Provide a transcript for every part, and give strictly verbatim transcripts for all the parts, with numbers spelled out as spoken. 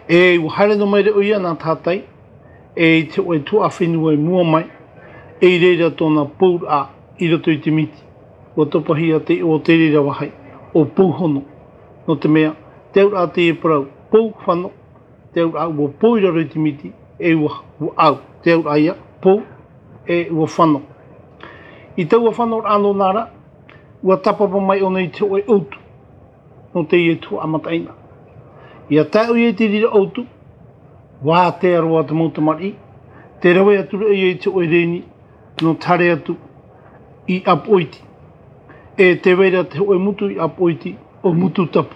E ua haere noa mai ra ʻoia nā tātai, e i te hōʻē tuhaʻa fenua i mua mai, e i reira tōna pouraʻa i roto i te miti. Ua topahia te iʻoa o te reira vāhi, ʻo Pouhono. Nō te mea, te auraʻa teie parau, pou fano, te auraʻa ua pou i raro i te miti, e ua, ua au, te auraʻa ia, pou, e ua fano. I taua fanoraʻa nōna ra, ua tāpapa mai ʻōna i te hōʻē ʻoutu, nō teie tuhaʻa mataʻeinaʻa. ʻIa tae ʻoia i te reira ʻoutu, ua ātea roa te mau tamariʻi, tē rave atu ra ʻoia i te hōʻē rēni, nō te haere atu i ʻApoʻiti. E tē vai ra te hōʻē motu i ʻApoʻiti, ʻo Mututapu.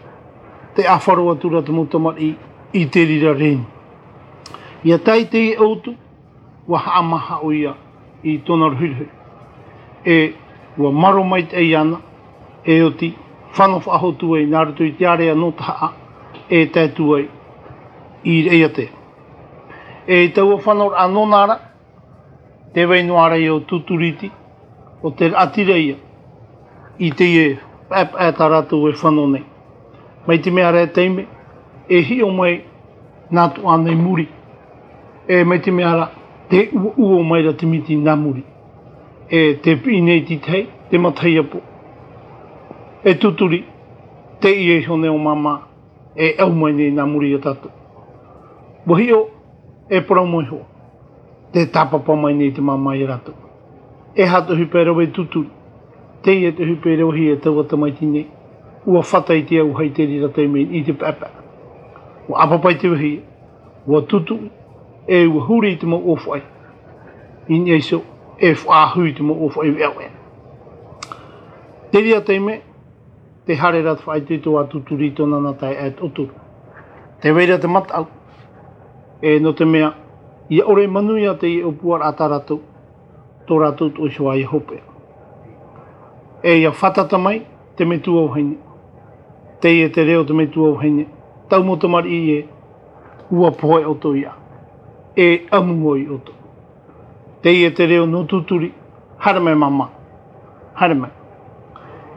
Tē ʻāfaro atu ra te mau tamariʻi i te reira rēni. ʻIa tae i teie ʻoutu, ua haʻamāha ʻoia i tōna rohirohi. E ua maro maitaʻi iāna, e oti, fano faʻahou atu ai nā roto i te ārea nō Tahaʻa, e tae atu ai i Raʻiātea. E i taua fanoraʻa nōna ra, tē vai noa ra ʻoia ʻo Tuturiti, ʻo te raʻatira ia i teie paʻepaʻe tā rātou e fano nei. Mai te mea ra e taime, e hiʻo mai nā Tuaʻana i muri. E mai te mea ra, tē uoʻuo mai ra te miti nā muri. E tē piʻi nei te tahi, te matahiapo. E Tuturi, teie iho nei ʻo Māmā, e au mai nei nā muri ia tātou. Ua hiʻo, e parau mai hoʻi. Tē tāpapa mai nei te Māmā ia rātou. E aha te ʻohipa e rave e Tuturi? Teie te ʻohipa e ravehia e taua tamaiti nei. Ua fata i te auahi i te reira taime i te paʻepaʻe. Ua ʻāpapa i te vāhi, ua tutuʻi, e ua huri i te mau ʻōfaʻi. I niʻa iho, e faʻaʻahu i te mau ʻōfaʻi veʻaveʻa. Te reira taime, tē haere ra te faʻaitoito a Tuturi i tōna nā taeaʻe e toʻotoru. Tē vai ra te mataʻu, e nō te mea, ʻia ʻore manuia teie ʻōpuaraʻa tā rātou, tō rātou tuʻu iho ā ʻia hopeʻa. E ʻia fātata mai te metua vahine. Teie te reo o te metua vahine. Tau mau tamariʻi ē, ʻua pohe ʻoutou ia. E ʻamu vau ia ʻoutou. Teie te reo nō Tuturi, haere mai māmā, haere mai.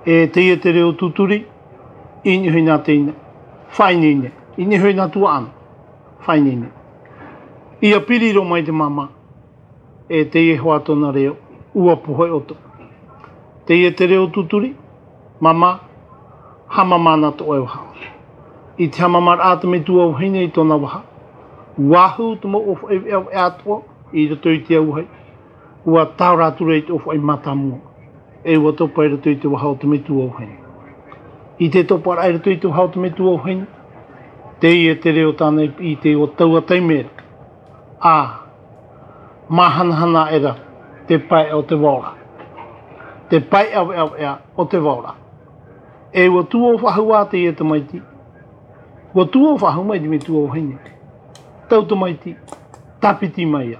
E teie te reo o Tuturi, i niʻa iho i nā teina, faʻaineine, i niʻa iho i nā tuaʻana, faʻaineine. ʻIa piri roa mai te māmā, e teie hoʻi tōna reo, ʻua pohe ʻoutou. Teie te reo o Tuturi, māmā, hāmama na tō ʻoe vaha. I te hāmamaraʻa a te metua vahine i tōna vaha, ʻua hū te mau ʻōfaʻi veʻaveʻa atoʻa i roto i te auahi, ʻua taora atu ra i te ʻōfaʻi mātāmua, e ʻua topa i roto i te vaha o te metua vahine. I te toparaʻa i roto i te vaha o te metua vahine, teie te reo tāna i piʻi i te taua taime ra. ʻĀ, māhanahana aʻera te paeʻa o te vao ra. Te paeʻa veʻaveʻa o te vao ra. E ʻua tuō faʻahou ā teie tamaiti. ʻUa tuō faʻahou mai te metua vahine. Tau tamaiti, tāpiti mai ia.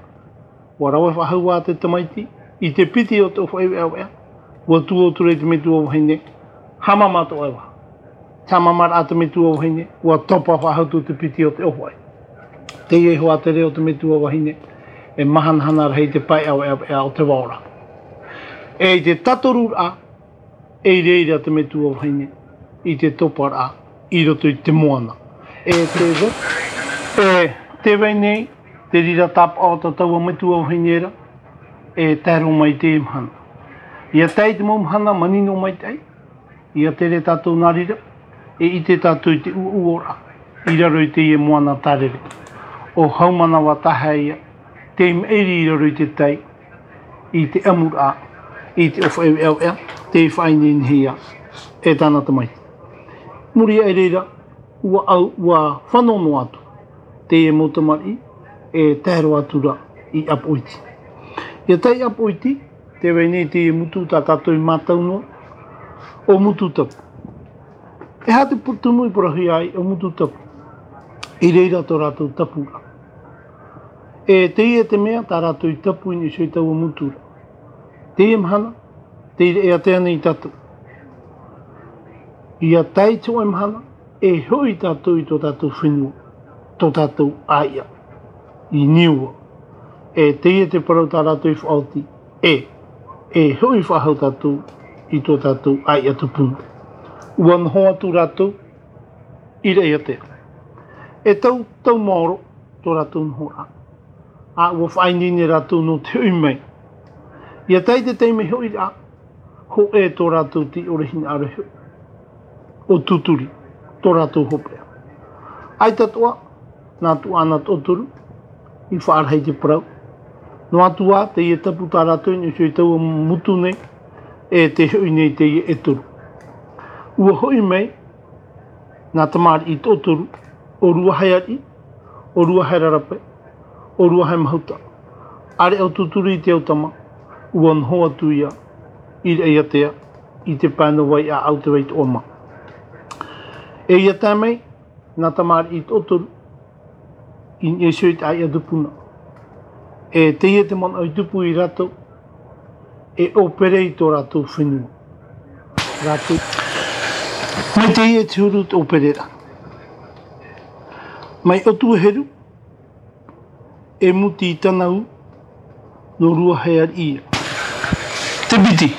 ʻUa rave faʻahou ā te tamaiti, i te piti o te ʻōfaʻi veʻaveʻa, ʻua tuō atu ra i te metua vahine, hāmama tō ʻoe vaha. Te hāmamaraʻa a te metua vahine, ʻua topa faʻahou atu te piti o te ʻōfaʻi. Teie hoʻi te reo o te metua vahine, e māhanahana rahi te paeʻa veʻaveʻa o te vao ra. E i te tātoruraʻa, e i reira te metua vahine i te toparaʻa i roto i te moana. E tē vai, e tē vai nei te reira tāpaʻo o tā taua metua vahine ra, e tae roa mai i teie mahana. ʻIa tae i te mau mahana manino maitaʻi, ʻia tere tātou nā reira, e ʻite tātou i te ʻuoʻuoraʻa i raro i teie moana tārere. ʻO Haumanawa Tahaʻa ia, tei maʻiri i raro i te tai, i te ʻamuraʻa, i te ʻōfaʻi veʻaveʻa, tei faʻaineinehia e tāna tamaiti. Muri aʻe i reira, ʻua au, ʻua fano noa atu teie mau tamariʻi, e tae roa atu ra i ʻApoʻiti. ʻIa tae i ʻApoʻiti, tē vai nei teie motu tā tātou i mātau noa, ʻo Mututapu. E aha te pu-, tumu i parauhia ai ʻo Mututapu? I reira tō rātou tapu ra. E teie te mea tā rātou i tapu i niʻa iho i taua motu ra. Teie mahana, tei Raʻiātea nei tātou. ʻIa tae i te hōʻē mahana, e hoʻi tātou i tō tātou fenua, tō tātou ʻāiʻa, i Niua. E teie te parau tā rātou i faʻaoti, e, e hoʻi faʻahou tātou i tō tātou ʻāiʻa tupuna. ʻUa noho atu rātou i Raʻiātea. E tau, tau maoro tō rātou nohoraʻa. ʻA ua faʻaineine rātou nō te hoʻi mai. ʻIa tae i te taime hoʻiraʻa, hōʻē tō rātou tei ʻore hinaʻaro hoʻi. ʻO Tūturi, tō rātou hopeʻa. ʻAita atoʻa, nā Tuaʻana Toʻotoru, i faʻarahi te parau. Noa atu ā, teie tapu tā rātou i niʻa i taua motu nei, e tē hoʻi nei teie e toru. ʻUa hoʻi mai, nā Tamariʻi Toʻotoru, ʻo Ruaheariʻi, ʻo Ruaherarape, ʻo Ruahemahuta. ʻĀreʻa ʻo Tūturi i te au tama, ʻua noho atu ia, i Raʻiātea, i te pae nō Vaiʻaʻau te Vaitoʻoma. E ʻia tae mai, nā Tamariʻi Toʻotoru, i niʻa iho i te ʻāiʻa tupuna. E teie te manaʻo i tupu ia rātou, e ʻōpere i tō rātou fenua. Rātou. Mai teie te huru te ʻōpereraʻa. Mai ʻOtuaheru, e Muti Tanau, nō Ruaheariʻi ia. Te piti,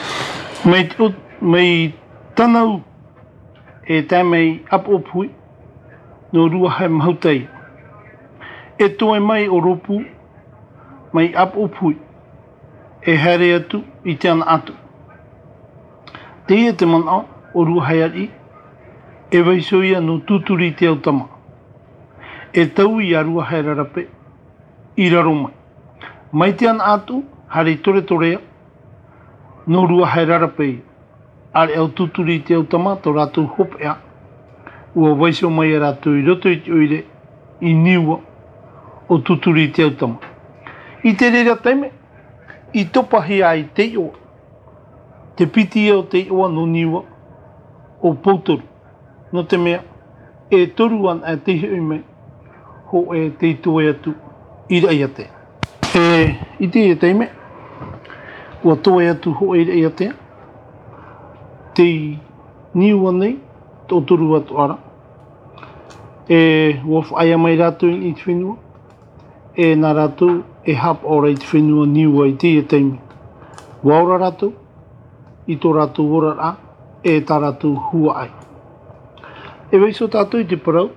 mai te ʻo-, mai Tanau, e tae mai ʻApoʻopuhi, nō Ruahemahuta ia. E toe mai ʻo Rōpū, mai ʻApoʻopuhi, e haere atu i Te Anaʻatu. Teie te manaʻo ʻo Ruaheariʻi, e vaiiho ia nō Tūturi i te au tama. E taui ia Ruaherarape, i raro mai. Mai Te Anaʻatu, haere i Toretorea, nō Ruaherarape ia. ʻĀreʻa ʻo Tūturi i te au tama, tō rātou hopeʻa, ʻua vaiiho mai ia rātou i roto i te ʻoire, i Niua, ʻo Tūturi i te au tama. I te reira taime, i topahia ai te iʻoa. Te piti ia o te iʻoa nō Niua, ʻo Poutoru. Nō te mea, e toru anaʻe tei hoʻi mai, hōʻē tei toe atu i Raʻiātea. E, i teie taime, ʻua toe atu hōʻē i Raʻiātea, tei Niua nei, Toʻotoru atoʻa ra. E, ʻua faʻaea mai rātou i te fenua, e nā rātou e haʻapaʻo ra i te fenua Niua i teie taime. ʻUa ora rātou, i tō rātou oraraʻa, e tā rātou huaʻai. E vaiiho tātou i te parau,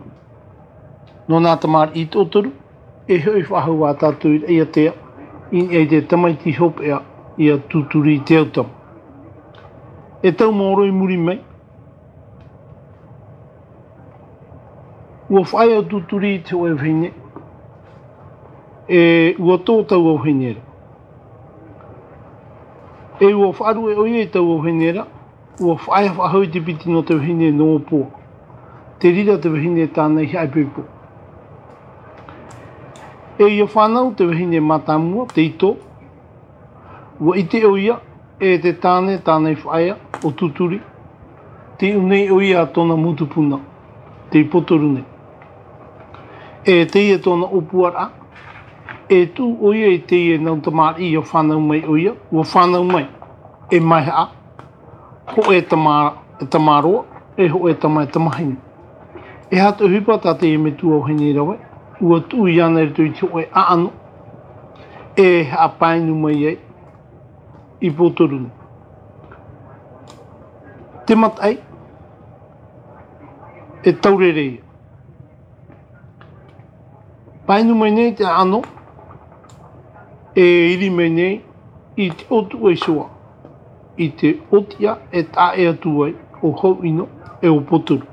nō nā tamariʻi Toʻotoru, e hoʻi faʻahou ā tātou i Raʻiātea, i niʻa i te tamaiti hopeʻa, ia Tūturi i te au tama. E tau maoro i muri mai, ʻua faʻaea ʻo Tūturi i te hōʻē vahine, e ʻua tō taua vahine ra. E ʻua faʻaruʻe ʻoia i taua vahine ra, ʻua faʻaea faʻahou i te piti nō te vahine nō Ōpoa. Te reira te vahine tāna i haʻaipoipo. E ʻia fānau te vahine mātāmua, te ito, ʻua ʻite ʻoia, e te tāne, tāna i faʻaea, ʻo Tūturi. Tei ʻō nei ʻoia tōna mau tupuna, tei Poutoru nei. E teie tōna ʻōpuaraʻa, e tuʻu ʻoia i teie nau tamariʻi ʻia fānau mai ʻoia, ʻua fānau mai, e maihaʻa, hōʻē tama-, e tamaroa, e hōʻē tama-, e tamahine. E aha te ʻohipa tā teie metua vahine rave, ʻua tuʻu iāna i roto i te hōʻē ʻaʻano, e haʻapainu mai ai i Poutoru nei. Te mataʻi, e taurere ia. Painu mai nei te ʻaʻano, e iri mai nei i te ʻōtuʻa iho ā, i te ʻōtiʻa e taʻa ʻē atu ai ʻo Hauʻino e ʻo Poutoru.